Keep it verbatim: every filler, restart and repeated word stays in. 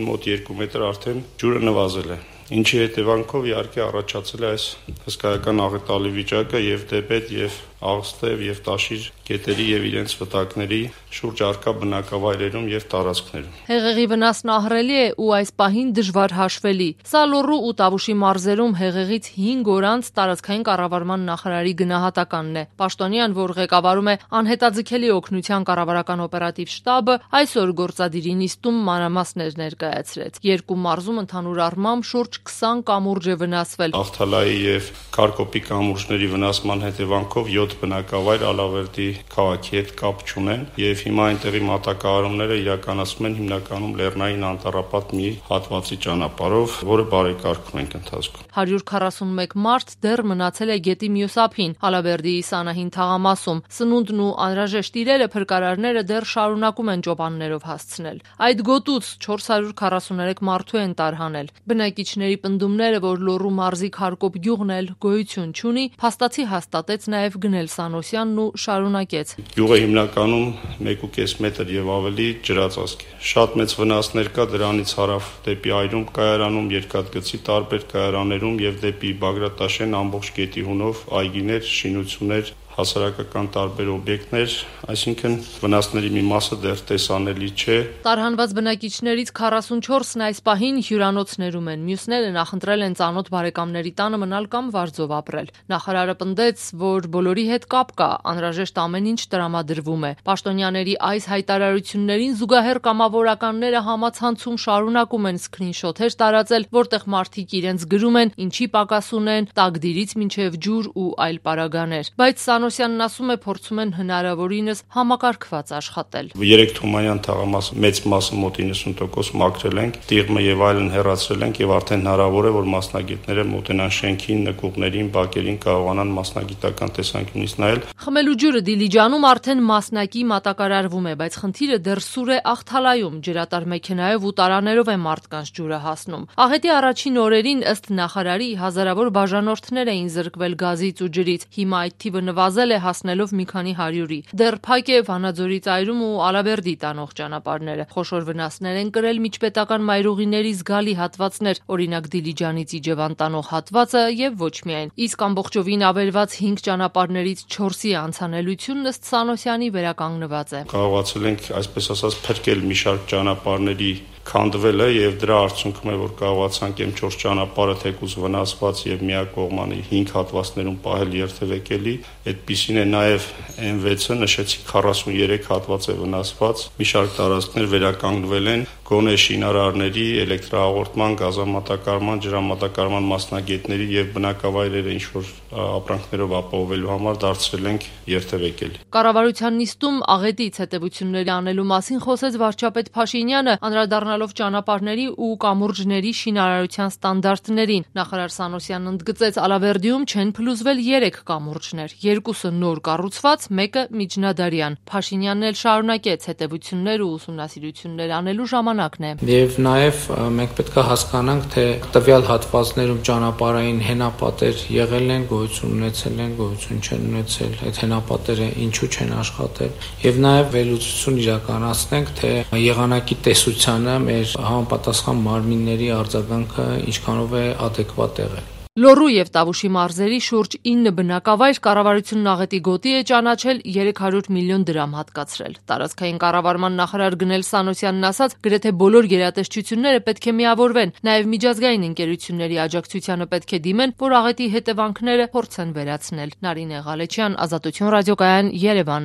Մոտ երկու մետր արդեն ջուրը նվազել է, ինչի հետևանքով իհարկե առաջացել է այս հսկայական աղետալի վիճակը եւ դեպետ եւ աղստև եւ տաշիր գետերի եւ իրենց վտակների շուրջ առկա բնակավայրերում եւ տարածքներում։ Հեղեղի վնասն ահռելի է ու այս պահին դժվար հաշվելի։ Սա Լոռու ու Տավուշի մարզերում հեղեղից հինգ օր անց տարածքային կառավարման նախարարի գնահատականն է։ Պաշտոնյան, որ ղեկավարում է անհետաձգելի օգնության կառավարական օպերատիվ շտաբը, այսօր գործադիրի նիստում մանրամասներ ներկայացրեց։ Երկու մարզում ընդհանուր առմամբ շուրջ քսան կամուրջ է վնասվել։ Աղթալայի եւ Քարկոպի կամուրջների վնասման հետևանքով յոթ բնակավայր Ալավերդի քաղաքի հետ կապ չունեն եւ հիմա այնտեղի մատակարարումները իրականացվում են հիմնականում Լեռնային անտառապատ մի հատվածի ճանապարհով, որը բարեկարգում ենք ընթացքում։ հարյուր քառասունմեկ մարդ դեռ մնացել է գետի մյուս ափին, Ալավերդիի Սանահին թաղամասում։ Սնունդն ու անհրաժեշտ իրերը փրկարարները դեռ շարունակում են ճոպաններով հասցնել։ Այդ գոտուց չորս հարյուր քառասուներեք մարդու են տարհանել։ Բնակիչների պնդումները, որ Լոռու մարզի Քարկոպ գյուղն էլ գոյություն չունի, փաստացի հաստատեց նաեւ Գնել Սանոսյանն ու շարունակեց։ Գյուղը հիմնականում մեկ ու կես մետր եւ ավելի ջրածածկ է։ Շատ մեծ վնասներ կա դրանից հարավ դեպի Այրում կայարանում, Երկաթգծի տարբեր կայարաներում եւ դեպի Բագրատաշեն ամբողջ գետի հունով այգիներ, շինություններ, հասարակական տարբեր օբյեկտներ, այսինքն վնասների մի մասը դեռ տեսանելի չէ։ Տարհանված բնակիչներից քառասունչորսն այս պահին հյուրանոցներում են, մյուսները նախընտրել են ծանոթ բարեկամների տանը մնալ կամ վարձով ապրել։ Նախարարը պնդեց, որ բոլորի հետ կապ կա, անհրաժեշտ ամեն ինչ տրամադրվում է։ Պաշտոնյաների այս հայտարարություններին զուգահեռ կամավորականները համացանցում շարունակում են սքրինշոթեր տարածել, որտեղ մարդիկ իրենց գրում են, ինչի պակաս ունեն, տակդիրից մինչև ջուր ու այլ պարագաներ։ Բայց Սանոսյանն ասում է, փորձում են հնարավորինս համակարգված աշխատել։ Երեք Թումանյան թաղամասը մեծ մասը մոտ իննսուն տոկոս մաքրել ենք, տիղմը եւ այլն հեռացրել ենք եւ արդեն հնարավոր է, որ մասնագետները մոտենան շենքին, նկուղներին, բակերին կարողանան մասնագիտական տեսանկյունից նայել։ Խմելու ջուրը Դիլիջանում արդեն մասնակի մատակարարվում է, բայց խնդիրը դեռ սուր է Աղթալայում, ջրատար մեքենայով ու տարաներով է մարդկանց ջուրը հասնում։ Աղետի առաջին օրերին ըստ նախարարի հազարավոր բաժանորդներ էին զրկվել գազից ու ջրից։ Հիմա այդ թիվը նվազել է հասնելով մի քանի հարյուրի։ Դեռ փակ է Վանաձորից Այրում ու Ալավերդի տանող ճանապարհները։ Խոշոր վնասներ են կրել միջպետական մայրուղիների զգալի հատվածներ, օրինակ Դիլիջանից Իջևան տանող հատվածը եւ ոչ միայն։ Իսկ ամբողջովին ավերված հինգ ճանապարհներից չորսի անցանելությունն ըստ Սանոսյանի վերականգնված է։ Կարողացել ենք, այսպես ասած, փրկել մի շարք ճանապարհների քանդվելը եւ դրա արդյունքում է, որ կարողացանք M չորս ճանապարհը թեկուզ վնասված եւ միակողմանի հինգ հատվածներում պահել երթևեկելի, այդպիսին է նաեւ M վեցը, նշեցի քառասուներեք հատված է վնասված, մի շարք տարածքներ վերականգնվել են, գոնե շինարարների, էլեկտրահաղորդման, գազամատակարարման, ջրամատակարարման մասնագետների եւ բնակավայրերը ինչ որ ապրանքներով ապահովելու համար դարձրել ենք երթևեկելի։ Կառավարության նիստում աղետից հետևությունների անելու մասին խոսեց վարչապետ Փաշինյանը, անդրադառնալով ճանապարհների ու կամուրջների շինարարության ստանդարտներին։ Նախարար Սանոսյանն ընդգծեց, Ալավերդիում չեն փլուզվել երեք կամուրջներ, երկուսը նոր կառուցված, մեկը միջնադարյան։ Փաշինյանն էլ շարունակեց, հետևություններ ու ուսումնասիրություններ անելու ժամանակն է։ Եվ նաև մենք պետք է հասկանանք, թե տվյալ հատվածներում ճանապարհային հենապատեր եղել են, գոյություն ունեցել են, գոյություն չեն ունեցել, այդ հենապատերը ինչու չեն աշխատել, եւ նաև վերլուծություն իրականացնենք, թե եղանակի տեսությանը մեր համապատասխան մարմինների արձագանքը ինչքանով է ադեկվատ եղել։ Լոռու եւ Տավուշի մարզերի շուրջ ինը բնակավայր կառավարությունն աղետի գոտի է ճանաչել երեք հարյուր միլիոն դրամ հատկացրել։ Տարածքային կառավարման նախարար Գնել Սանոսյանն ասաց, գրեթե բոլոր գերատեսչությունները պետք է միավորվեն, նաեւ միջազգային ընկերությունների աջակցությանը պետք է դիմեն, որ աղետի հետևանքները փորձեն վերացնել։ Նարինե Ղալեչյան, Ազատություն ռադիոկայան, Երևան։